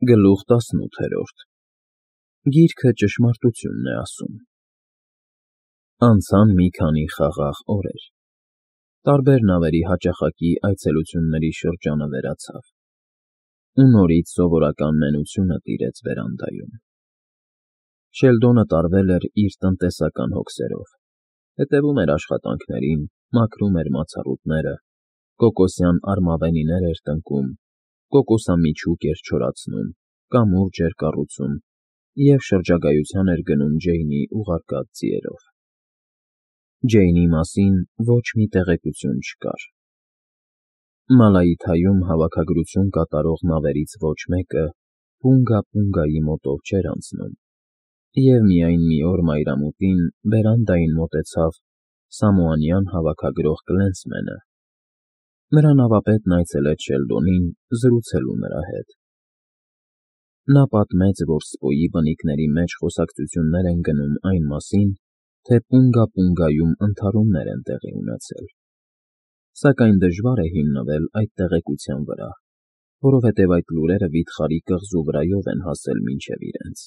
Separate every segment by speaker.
Speaker 1: Գլուխ 18 Գիրքը ճշմարտությունն է ասում։ Անցան մի քանի խաղաղ օրեր։ Տարբեր նավերի հաճախակի այցելությունների շրջանը վերացավ, ու նորից սովորական նենությունը տիրեց վերանդայում։ Շելդոնը տարվել էր իր տնտեսական հոգսերով, հետևում էր աշխատանքներին, մաքրում էր մացառուտները, կոկոսյան արմավենիներ էր տնկում, կոկոսամիջուկ էր չորացնում, կամուրջ էր կառուցում և շրջագայության էր գնում Ջեյնի ուղարկած ձիերով։ Ջեյնի մասին ոչ մի տեղեկություն չկար։ Մալայիթայում հավաքագրություն կատարող նավերից ոչ մեկը Պունգա֊Պունգայի մոտով չէր անցնում, և միայն մի օր մայրամուտին բերանդային մոտեցավ Սամոանյան հավաքագրող Կլենսմենը։ Նրա նավապետն այցելեց Շելդոնին զրուցելու նրա հետ։ Նա պատմեց, որ Սպոյի բնիկների մեջ խոսակցություններ են գնում այն մասին, թե Պունգա֊Պունգայում ընդհարումներ են տեղի ունեցել, սակայն դժվար է հիմնվել այդ տեղեկության վրա, որովհետև այդ լուրերը վիթխարի կղզու վրայով են հասել մինչև իրենց։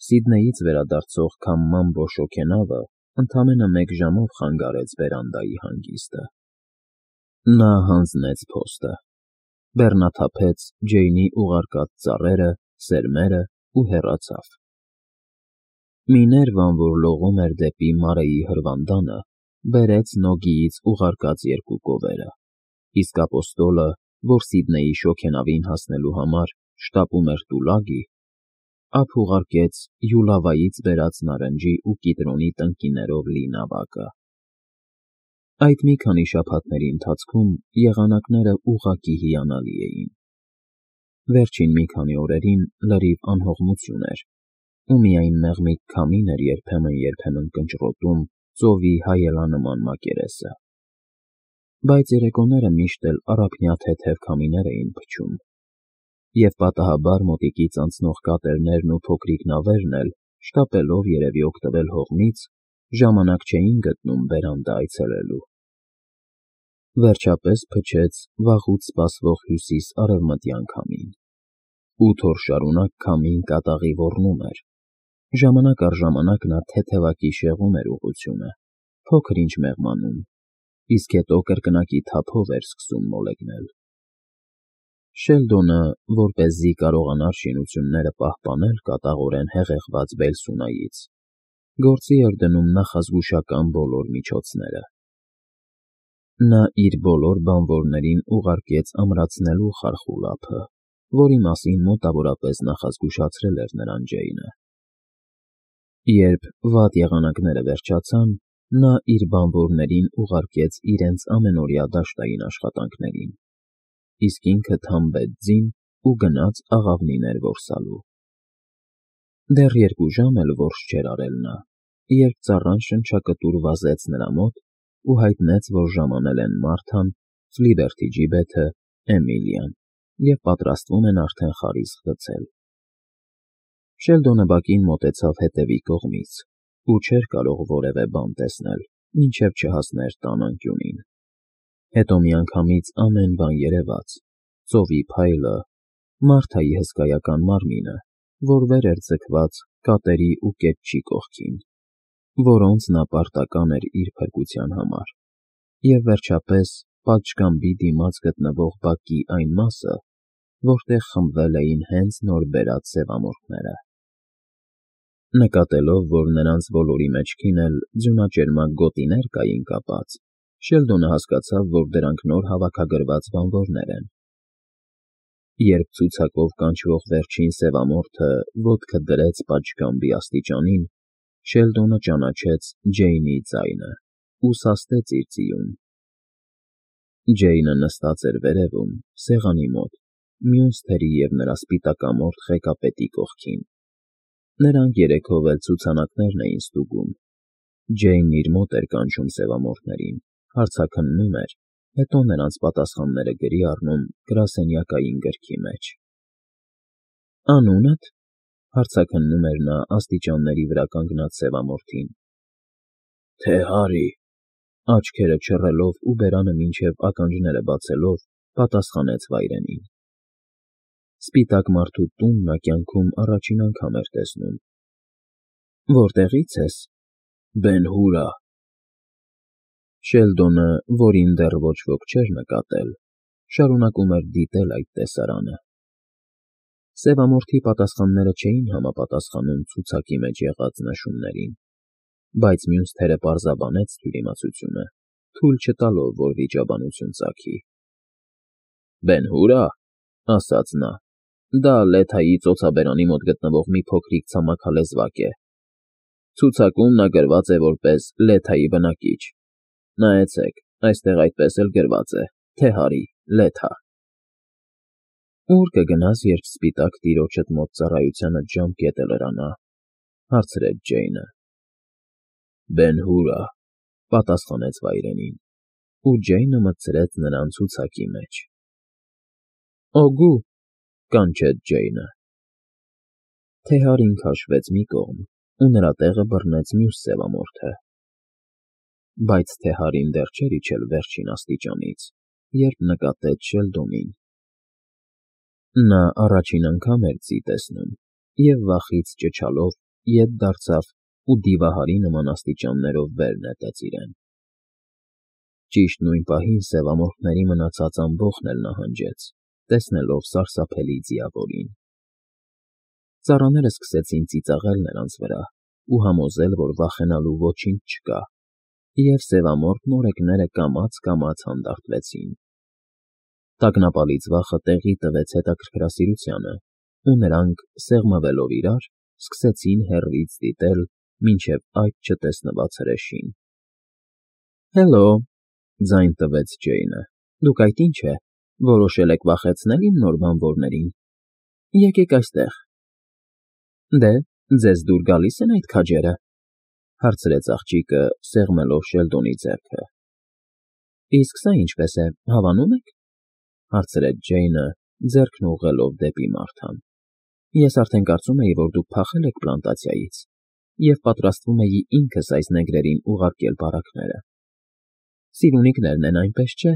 Speaker 1: Սիդնեյից վերադարձող Քամմամբո շոգենավը ընդամենը մեկ ժամով խանգարեց բերանդայի հանգիստը։ Նա հանձնեց փոստը, բեռնաթափեց Ջեյնի ուղարկած ծառերը, սերմերը ու հեռացավ։ Մի ներվան, որ լողում էր դեպի Մարեի հրվանդանը, բերեց Նոգիից ուղարկած երկու կովերը, իսկ ապոստոլը, որ Սիդնեյի շոգենավին հասնելու համար շտապում էր Տուլագի, ափ ուղարկեց Յուլավայից բերած նարնջի ու կիտրոնի տնկիներով լի նավակը։ Այդ մի քանի շաբաթների ընթացքում եղանակները ուղղակի հիանալի էին։ Վերջին մի քանի օրերին լրիվ անհողմություն էր, ու միայն մեղմիկ քամին էր երբեմն կնճռոտում ծովի հայելանման մակերեսը։ Բայց երեկոները միշտ էլ առափնյա թեթև քամիներ էին փչում, և պատահաբար մոտիկից անցնող կատերներն ու փոքրիկ նավերն էլ, շտապելով երևի օգտվել հողմից, ժամանակ չէին գտնում բերանդա այցելելու։ Վերջապես փչեց վաղուց սպասվող հյուսիս֊արևմտյան քամին։ 8 օր շարունակ քամին կատաղի ոռնում էր։ Ժամանակ առ ժամանակ նա թեթևակի շեղում էր ուղղությունը, փոքր-ինչ մեղմանում, իսկ հետո կրկնակի թափով էր սկսում մոլեգնել։ Շելդոնը, որպեսզի կարողանար շինությունները պահպանել կատաղորեն հեղեղված Բելսունայից, գործի էր դնում նախազգուշական բոլոր միջոցները։ Նա իր բոլոր բանվորներին ուղարկեց ամրացնելու խարխուլ ափը, որի մասին մոտավորապես նախազգուշացրել էր նրան Ջեյնը։ Երբ վատ եղանակները վերջացան, նա իր բանվորներին ուղարկեց իրենց ամենօրյա դաշտային աշխատանքներին, իսկ ինքը թամբեց ձին ու գնաց աղավնիներ որսալու։ Դեռ 2 ժամ էլ որս չէր արել նա, երբ ծառան շնչակտուր վազեց նրա մոտ ու հայտնեց, որ ժամանել են Մարթան, Ֆլիբերթի ջիբեթը, Էմիլիան և պատրաստվում են արդեն խարիսկ գցել։ Շելդոնը բակին մոտեցավ հետևի կողմից ու չէր կարող որևէ բան տեսնել, մինչև չհասներ տան անկյունին։ Հետո միանգամից ամեն բան երևաց՝ ծովի փայլը, Մարթայի հսկայական մարմինը, որ վեր էր ձգված կատերի ու կեպչի կողքին, որոնց նա պարտական էր իր փրկության համար, և վերջապես պատշգամբի դիմաց գտնվող բակի այն մասը, որտեղ խմբվել էին հենց նոր բերած սևամորթները։ Նկատելով, որ նրանց բոլորի մեջքին էլ ձյունաճերմակ գոտիներ կային կապած, Շելդոնը հասկացավ, որ դրանք նոր հավաքագրված բանվորներ են։ Երբ ցուցակով կանչվող վերջին սևամորթը ոտքը դրեց պատշգամբի աստիճանին, Շելդոնը ճանաչեց Ջեյնի ձայնը ու սաստեց իր ձիուն։ Ջեյնը նստած էր վերևում, սեղանի մոտ, մյուս թերի և նրա սպիտակամորթ ղեկապետի կողքին։ Նրանք երեքով էլ ցուցանակներն էին ստուգում։ Ջեյնն իր մոտ էր կանչում սևամորթներին, հարցաքննում էր, հետո նրանց պատասխանները գրի առնում գրասենյակային գրքի մեջ։ «Անունդ», հարցաքննում էր նա աստիճանների վրա կանգնած սևամորթին։ «Թե Հարի», աչքերը չռելով ու բերանը մինչև ականջները բացելով, պատասխանեց վայրենին։ Սպիտակ մարդու տուն նա կյանքում առաջին անգամ էր տեսնում։ Որտեղի՞ց ես։ Բեն֊Հուրը։ Շելդոնը, որին դեռ ոչ ոք չէր նկատել, շարունակում էր դիտել այդ տեսարանը։ Սևամորթի պատասխանները չէին համապատասխանում ցուցակի մեջ եղած նշումներին, բայց մյուս թերը պարզաբանեց թյուրիմացությունը, թույլ չտալով, որ վիճաբանություն ծագի։ Բեն֊Հուրը, ասաց նա, դա Լեթայի ծոցաբերանի մոտ գտնվող մի փոքրիկ ցամաքալեզվակ է։ Ցուցակում նա գրված է որպես Լեթայի բնակիչ։ Նայեցեք, այստեղ այդպես էլ գրված է. Թեհարի, Լեթա։ Ուր կգնաս, երբ սպիտակ տիրոջդ մոտ ծառայությանդ ժամկետը լրանա, հարցրեց Ջեյնը։ Բեն֊Հուրը, պատասխանեց վայրենին, ու Ջեյնը մտցրեց նրան ցուցակի մեջ։ Օգու, կանչեց Ջեյնը։ Թեհարին քաշվեց մի կողմ, ու նրա տեղը բռնեց մյուս սևամորթը։ Բայց Թեհարին դեռ չէր իջել վերջին աստիճանից, երբ նկատեց Շելդոնին։ Նա առաջին անգամ էր ձի տեսնում և վախից ճչալով ետ դարձավ ու դիվահարի նման աստիճաններով վեր նետեց իրեն։ Ճիշտ նույն պահին սևամորթների մնացած ամբոխն էլ նահանջեց, տեսնելով սարսափելի ձիավորին։ Ծառաները սկսեցին ծիծաղել նրանց վրա ու համոզել, որ վախենալու ոչինչ չկա, և սևամորթ նորեկները կամաց-կամաց հանդարտվեցին։ Տագնապալից վախը տեղի տվեց հետաքրքրասիրությանը, ու նրանք, սեղմվելով իրար, սկսեցին հեռվից դիտել մինչև այդ չտեսնված հրեշին։ Հելո, ձայն տվեց Ջեյնը, դուք այդ ինչ է, որոշել եք վախեցնել իմ նոր բանվորներին։ Եկեք այստեղ։ Դե, ձեզ դուր գալի՞ս են այդ քաջերը, հարցրեց աղջիկը, սեղմելով Շելդոնի ձեռքը։ Իսկ սա ինչպես է, հավանում եք, հարցրեց Ջեյնը, ձեռքն ուղղելով դեպի Մարթան։ Ես արդեն կարծում էի, որ դուք փախել եք պլանտացիայից, և պատրաստվում էի ինքս այս նեգրերին ուղարկել բարակները։ Սիրունիկներն են, այնպես չէ։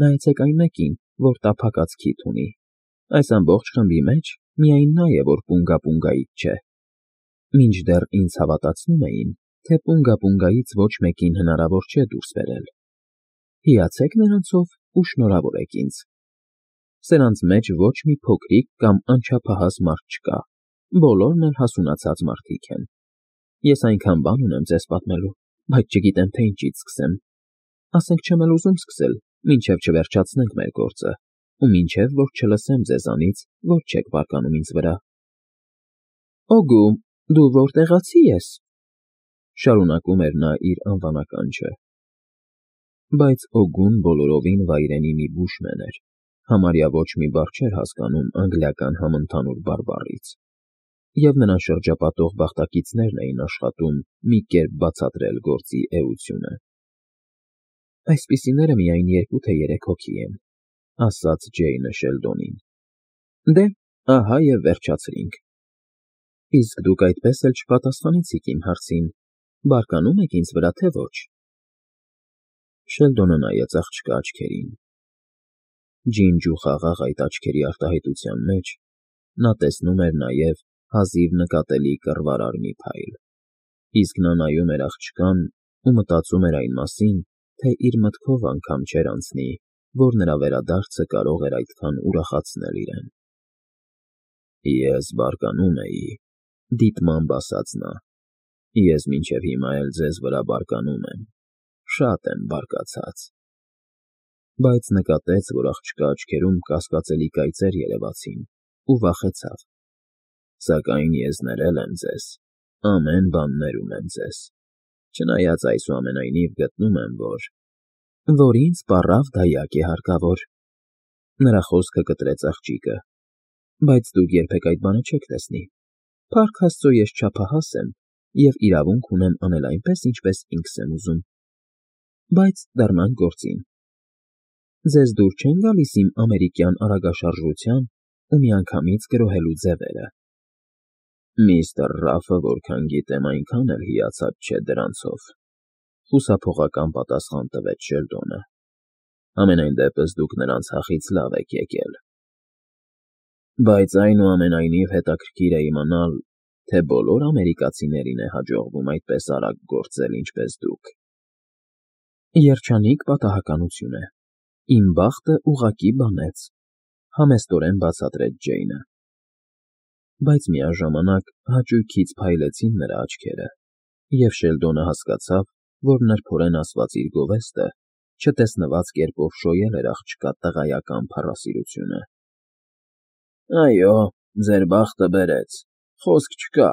Speaker 1: Նայեցեք այն մեկին, որ տափակած քիթ ունի։ Այս ամբողջ խմբի մեջ միայն նա է, որ պունգա֊պունգայից չէ։ Մինչդեռ ինձ հավատացնում էին, թե պունգա֊պունգայից ոչ մեկին հնարավոր չէ դուրս բերել։ Հիացեք նրանցով ու շնորհավորեք ինձ։ Սրանց մեջ ոչ մի փոքրիկ կամ անչափահաս մարդ չկա, բոլորն էլ հասունացած մարդիկ են։ Ես այնքան բան ունեմ ձեզ պատմելու, բայց չգիտեմ, թե ինչից սկսեմ։ Ասենք չեմ էլ ուզում սկսել, մինչև չվերջացնենք մեր գործը, ու մինչև որ չլսեմ ձեզանից, որ չեք բարկանում ինձ վրա։ Օգու, դու որտեղացի ես, շարունակում էր նա իր անվանականչը։ Բայց Օգուն բոլորովին վայրենի մի բուշմեն էր, համարյա ոչ մի բառ չէր հասկանում անգլիական համընդհանուր բարբառից, և նրան շրջապատող բախտակիցներն էին աշխատում մի կերպ բացատրել գործի էությունը։ Այսպիսիները միայն 2 թե 3 հոգի են, ասաց Ջեյնը Շելդոնին։ Դե, ահա և վերջացրինք։ Իսկ դուք այդպես էլ չպատասխանեցիք իմ հարցին, բարկանում եք ինձ վրա, թե ոչ։ Շելդոնը նայեց աղջկա աչքերին։ Ջինջ ու խաղաղ այդ աչքերի արտահայտության մեջ նա տեսնում էր նաև հազիվ նկատելի կռվարար մի փայլ, իսկ նա նայում էր աղջկան ու մտածում էր այն մասին, թե իր մտքով անգամ չէր անցնի, որ նրա վերադարձը կարող էր այդքան ուրախացնել իրեն։ Ես բարկանում էի, դիտմամբ ասաց նա։ Ես մինչև հիմա էլ ձեզ վրա բարկանում եմ, շատ եմ բարկացած։ Բայց նկատեց, որ աղջկա աչքերում կասկածելի կայծեր երևացին, ու վախեցավ։ Սակայն ես ներել եմ ձեզ, ամեն բան ներում եմ ձեզ, չնայած այսուամենայնիվ գտնում եմ, որ ինձ պառավ դայակ է հարկավոր։ Նրա խոսքը կտրեց աղջիկը։ Բայց դուք երբեք այդ բանը չեք տեսնի։ Փառք Աստծո, ես չափահաս եմ և իրավունք ունեմ անել այնպես, ինչպես ինքս եմ ուզում։ Բայց դառնանք գործին։ Ձեզ դուր չեն գալիս իմ ամերիկյան արագաշարժության ու միանգամից գրոհելու ձևերը։ Միստր Ռաֆը, որքան գիտեմ, այնքան էլ հիացած չէ դրանցով, խուսափողական պատասխան տվեց Շելդոնը։ Համենայն դեպս դուք նրանց հախից լավ եք եկել։ Բայց այնուամենայնիվ հետաքրքիր է իմանալ, թե բոլոր ամերիկացիներին է հաջողվում այդպես արագ գործել, ինչպես դուք։ Երջանիկ պատահականություն է։ Իմ բախտը ուղղակի բանեց, համեստորեն բացատրեց Ջեյնը։ Բայց միաժամանակ հաճույքից փայլեցին նրա աչքերը, և Շելդոնը հասկացավ, որ նրբորեն ասված իր գովեստը չտեսնված կերպով շոյել էր աղջկա տղայական փառասիրությունը։ Այո, ձեր բախտը բերեց, խոսք չկա,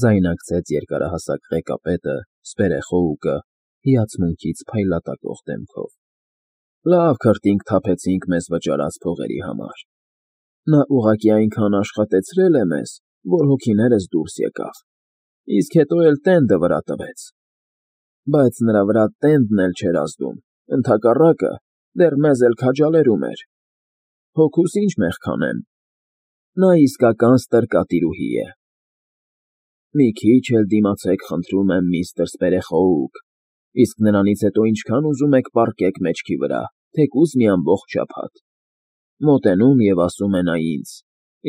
Speaker 1: ձայնարկեց երկարահասակ ղեկապետը, սպերեխոուկը, հիացմունքից փայլատակող դեմքով։ Լավ քրտինք թափեցինք մեզ վճարած փողերի համար։ Նա ուղղակի այնքան աշխատեցրել է մեզ, որ հոգիներս դուրս եկավ, իսկ հետո էլ տենդը վրա տվեց։ Բայց նրա վրա տենդն էլ չէր ազդում, ընդհակառակը, դեռ մեզ էլ քաջալերում էր։ Հոգուս ինչ մեղքանեմ։ Նա իսկական ստրկատիրուհի է։ Մի քիչ էլ դիմացեք, խնդրում եմ, միստր Սպերեխոուկ, իսկ նրանից հետո ինչքան ուզում եք պառկեք մեջքի վրա, թեկուզ մի ամբողջ շաբաթ։ Մոտենում և ասում է նա ինձ,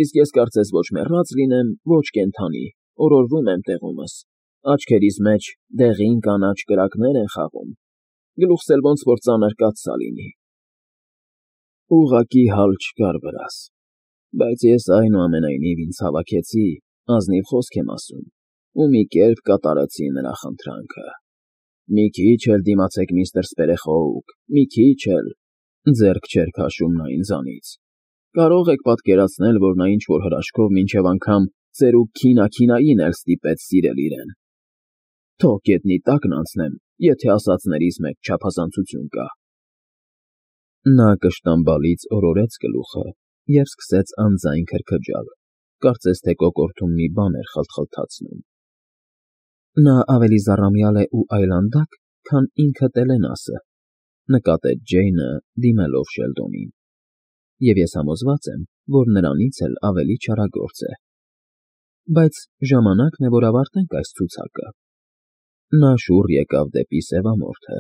Speaker 1: իսկ ես կարծես ոչ մեռած լինեմ, ոչ կենդանի, օրորվում եմ տեղումս, աչքերիս մեջ դեղին կանաչ կրակներ են խաղում, գլուխս էլ ոնց որ ծանր կաթսա լինի։ Ուղղակի հալ չկար վրաս, բայց ես այնուամենայնիվ ինձ հավաքեցի, ազնիվ խոսք եմ ասում, ու մի կերպ կատարեցի նրա խնդրանքը։ Մի քիչ էլ դիմացեք, միստր Սպերեխոուկ, մի քիչ էլ, ձեռք չէր քաշում նա ինձանից։ Կարող եք պատկերացնել, որ նա ինչ-որ հրաշքով մինչև անգամ ծերուկ քինաքինային էլ ստիպեց սիրել իրեն։ Թող գետնի տակն անցնեմ, եթե ասածներիս մեջ չափազանցություն կա։ Նա կշտամբալից օրորեց գլուխը և սկսեց անձայն քրքջալ, կարծես թե կոկորդում մի բան էր խլթխլթացնում։ Նա ավելի զառամյալ է ու այլանդակ, քան ինքը Տելենասը, նկատեց Ջեյնը, դիմելով Շելդոնին, և ես համոզված եմ, որ նրանից էլ ավելի չարագործ է։ Բայց ժամանակն է, որ ավարտենք այս ցուցակը։ Նա շուռ եկավ դեպի սևամորթը,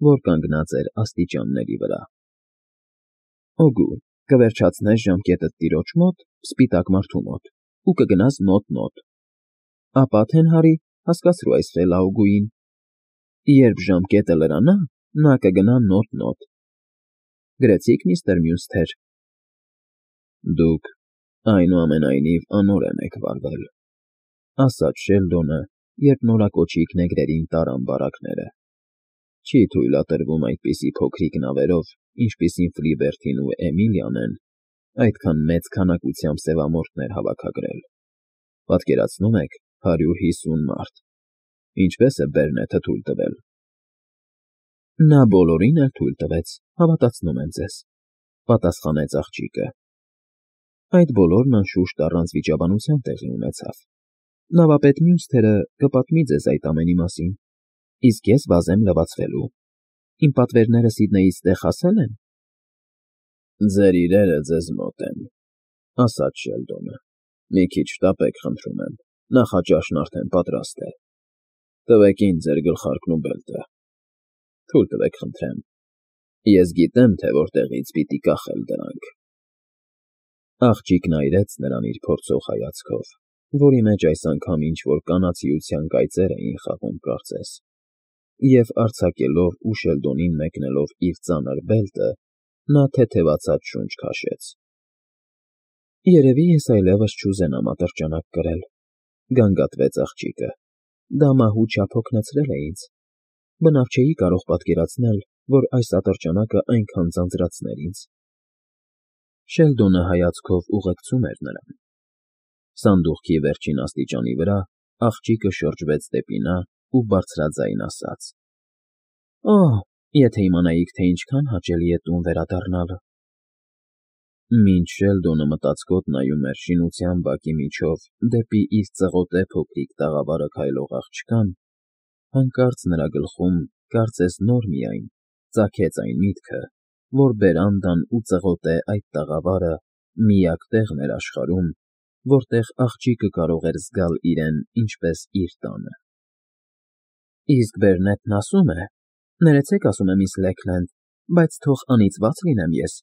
Speaker 1: որ կանգնած էր աստիճանների վրա։ Օգու, կվերջացնես ժամկետդ տիրոջ մոտ, սպիտակ մարդու մոտ, ու կգնաս նոտ֊նոտ։ Ապա Թենհարի, հասկացրու այս խելաուգուին։ Երբ ժամկետը լրանա, նա կգնա նոտ֊նոտ։ Գրեցի՞ք, միստր Մյունսթեր։ Դուք, այնուամենայնիվ, անօրեն եք վարվել, ասաց Շելդոնը, երբ նորակոչիկ նեգրերին տարան բարակները։ Չի թույլատրվում այդպիսի փոքրիկ նավերով, ինչպիսին Ֆլիբերթին ու Էմիլիան են, այդքան մեծ քանակությամբ սևամորթներ հավաքագրել։ Պատկերացնում եք 150 մարդ։ Ինչպես է Բերնեթը թույլ տվել։ Նա բոլորին էլ թույլ տվեց, հավատացնում եմ ձեզ, պատասխանեց աղջիկը։ Այդ բոլորն անշուշտ առանց վիճաբանության տեղի ունեցավ։ Նավապետ Մյունսթերը կպատմի ձեզ այդ ամենի մասին, իսկ ես վազեմ լվացվելու։ Իմ պատվերները Սիդնեյից տեղ հասել են։ Ձեր իրերը ձեզ մոտ են, ասաց Շելդոնը։ Մի քիչ շտապեք, խնդրում եմ, նախաճաշն արդեն պատրաստ է։ Տվեք ինձ ձեր գլխարկն ու բելտը։ Թույլ տվեք, խնդրեմ։ Ես գիտեմ, թե որտեղից պիտի կախել դրանք։ Աղջիկն այրեց նրան իր փորձող հայացքով, որի մեջ այս անգամ ինչ-որ կանացիության կայծեր էին խաղում, կարծես, և արձակելով ու Շելդոնին մեկնելով իր ծանր բելտը, նա թեթևացած շունչ քաշեց։ Երևի ես այլևս չուզենամ ատրճանակ կրել, գանգատվեց աղջիկը։ Դա մահու չափ հոգնեցրել է ինձ։ Բնավ չէի կարող պատկերացնել, որ այս ատրճանակը այնքան ձանձրացներ ինձ։ Շելդոնը հայացքով ուղեկցում էր նրան։ Սանդուղքի վերջին աստիճանի վրա աղջիկը շրջվեց դեպի նա ու բարձրաձայն ասաց. Օհ, եթե իմանայիք, թե ինչքան հաճելի է տուն վերադառնալը։ Մինչ Շելդոնը մտածկոտ նայում էր շինության բակի միջով դեպի իր ծղոտե փոքրիկ տաղավարը քայլող աղջկան, հանկարծ նրա գլխում, կարծես նոր միայն, ծագեց այն միտքը, որ բերանդան ու ծղոտե այդ տաղավարը միակ տեղն էր աշխարհում, որտեղ աղջիկը կարող էր զգալ իրեն ինչպես իր տանը։ Իսկ Բերնետն ասում է. «Ներեցեք, ասում է միս Լեքլենդ, բայց թող անիծված լինեմ ես,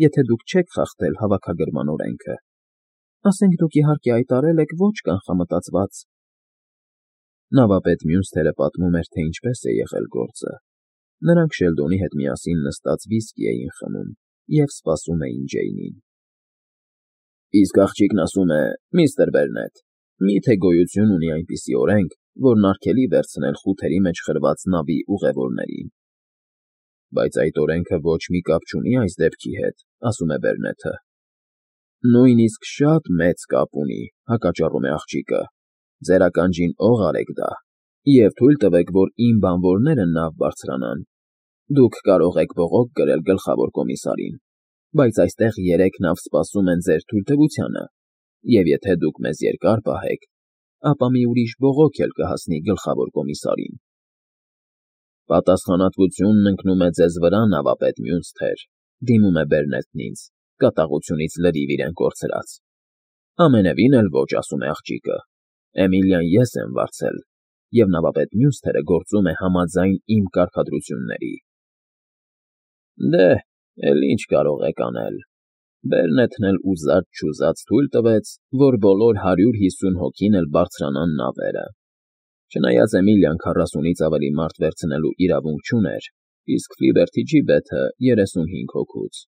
Speaker 1: եթե դուք չեք խախտել հավաքագրման օրենքը»։ Ասենք դուք իհարկե հայտարել եք ոչ կանխամտածված։ Նավապետ մյուս թերը պատմում էր, թե ինչպես է եղել գործը։ Նրանք Շելդոնի հետ միասին նստած վիսկի էին խմում և սպասում էին Ջեյնին։ Իսկ աղջիկն ասում է. «Միստր Բերնետ, մի՞թե գոյություն ունի այնպիսի օրենք, որն արգելի վերցնել խութերի մեջ խրված նավի ուղևորներին»։ Բայց այդ օրենքը ոչ մի կապ չունի այս դեպքի հետ, ասում է Բերնեթը։ Նույնիսկ շատ մեծ կապ ունի, հակաճառում է աղջիկը։ Ձեր ականջին օղ արեք դա, և թույլ տվեք, որ իմ բանվորները նավ բարձրանան։ Դուք կարող եք բողոք կրել գլխավոր կոմիսարին, բայց այստեղ 3 նավ սպասում են ձեր թույլտվությանը, և եթե դուք մեզ երկար պահեք, ապա մի ուրիշ բողոք էլ կհասնի գլխավոր կոմիսարին։ Պատասխանատվությունն ընկնում է ձեզ վրա, նավապետ Մյունսթեր, դիմում է Բերնետն ինձ, կատաղությունից լրիվ իրեն կորցրած։ Ամենևին էլ ոչ, ասում է աղջիկը։ Էմիլիան ես եմ վարձել, և նավապետ Մյունսթերը գործում է համաձայն իմ կարգադրությունների։ Դե, էլ ինչ կարող եք անել։ Բերնեթն էլ ուզած-չուզած թույլ տվեց, որ բոլոր 150 հոգին էլ բարձրանան նավերը։ Չնայած Էմիլիան 40-ից ավելի մարդ վերցնելու իրավունք չուներ, իսկ Ֆիլիբերթի ջիբեթը 35 հոգուց։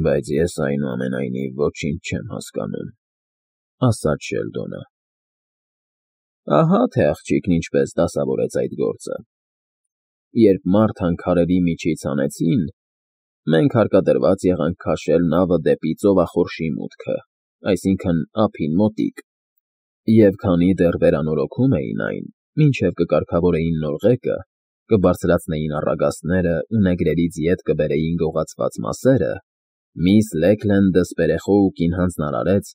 Speaker 1: Բայց ես այնուամենայնիվ ոչինչ չեմ հասկանում, ասաց Շելդոնը։ Ահա թե աղջիկն ինչպես դասավորեց այդ գործը։ Երբ մարդան քարերի միջից հանեցին, մենք հարկադրված եղանք քաշել նավը դեպի ծովախորշի մուտքը, այսինքն՝ ափին մոտիկ, և քանի դեռ վերանորոգում էին այն, մինչև կկարգավորեին նոր ղեկը, կբարձրացնեին առագաստները ու նեգրերից ետ կբերեին գողացված մասերը, միս Լեքլենդը Սպերեխոուկին հանձնարարեց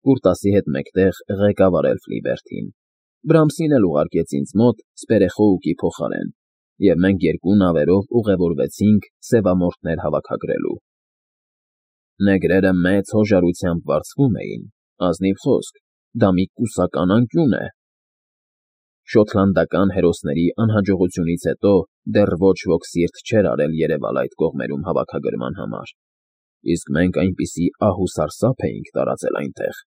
Speaker 1: Կուրտասի հետ մեկտեղ ղեկավարել Ֆիլիբերթին, Բրամսին էլ ուղարկեց ինձ մոտ Սպերեխոուկի փոխարեն, և մենք 2 նավերով ուղևորվեցինք սևամորթներ հավաքագրելու։ Նեգրերը մեծ հոժարությամբ վարձվում էին, ազնիվ խոսք, դա մի կուսական անկյուն է։ Շոտլանդական հերոսների անհաջողությունից հետո դեռ ոչ ոք սիրտ չէր արել երևալ այդ կողմերում հավաքագրման համար, իսկ մենք այնպիսի ահ ու սարսափ էինք տարածել այնտեղ,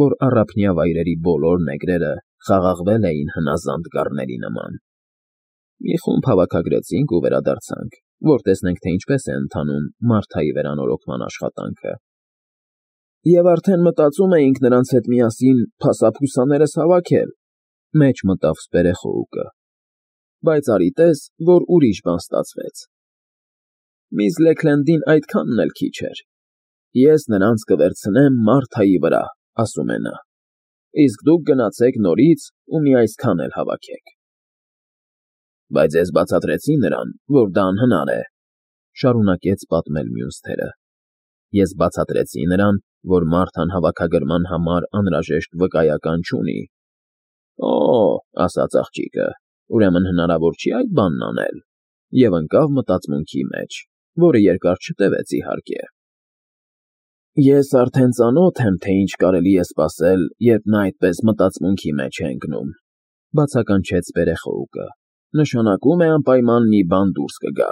Speaker 1: որ առափնյա վայրերի բոլոր նեգրերը խաղաղվել էին հնազանդ գառների նման։ Մի խումբ հավաքագրեցինք ու վերադարձանք, որ տեսնենք, թե ինչպես է ընթանում Մարթայի վերանորոգման աշխատանքը։ Եվ արդեն մտածում էինք նրանց հետ միասին փասափուսաներս հավաքել, մեջ մտավ Սպերեխոուկը, բայց արի տես, որ ուրիշ բան ստացվեց։ Միս Լեքլենդին այդքանն էլ քիչ էր։ Ես նրանց կվերցնեմ Մարթայի վրա, ասում է նա, իսկ դուք գնացեք նորից ու մի այսքան էլ հավաքեք։ Բայց ես բացատրեցի նրան, որ դա անհնար է, շարունակեց պատմել Մյունսթերը։ Ես բացատրեցի նրան, որ Մարթան հավաքագրման համար անհրաժեշտ վկայական չունի։ Օ, ասաց աղջիկը, ուրեմն հնարավոր չի այդ բանն անել, և ընկավ մտածմունքի մեջ, որը երկար չտևեց իհարկե։ Ես արդեն ծանոթ եմ, թե ինչ կարելի է սպասել, երբ նա այդպես մտածմունքի մեջ է ընկնում, բացականչեց Սպերեխոուկը։ Նշանակում է անպայման մի բան դուրս կգա։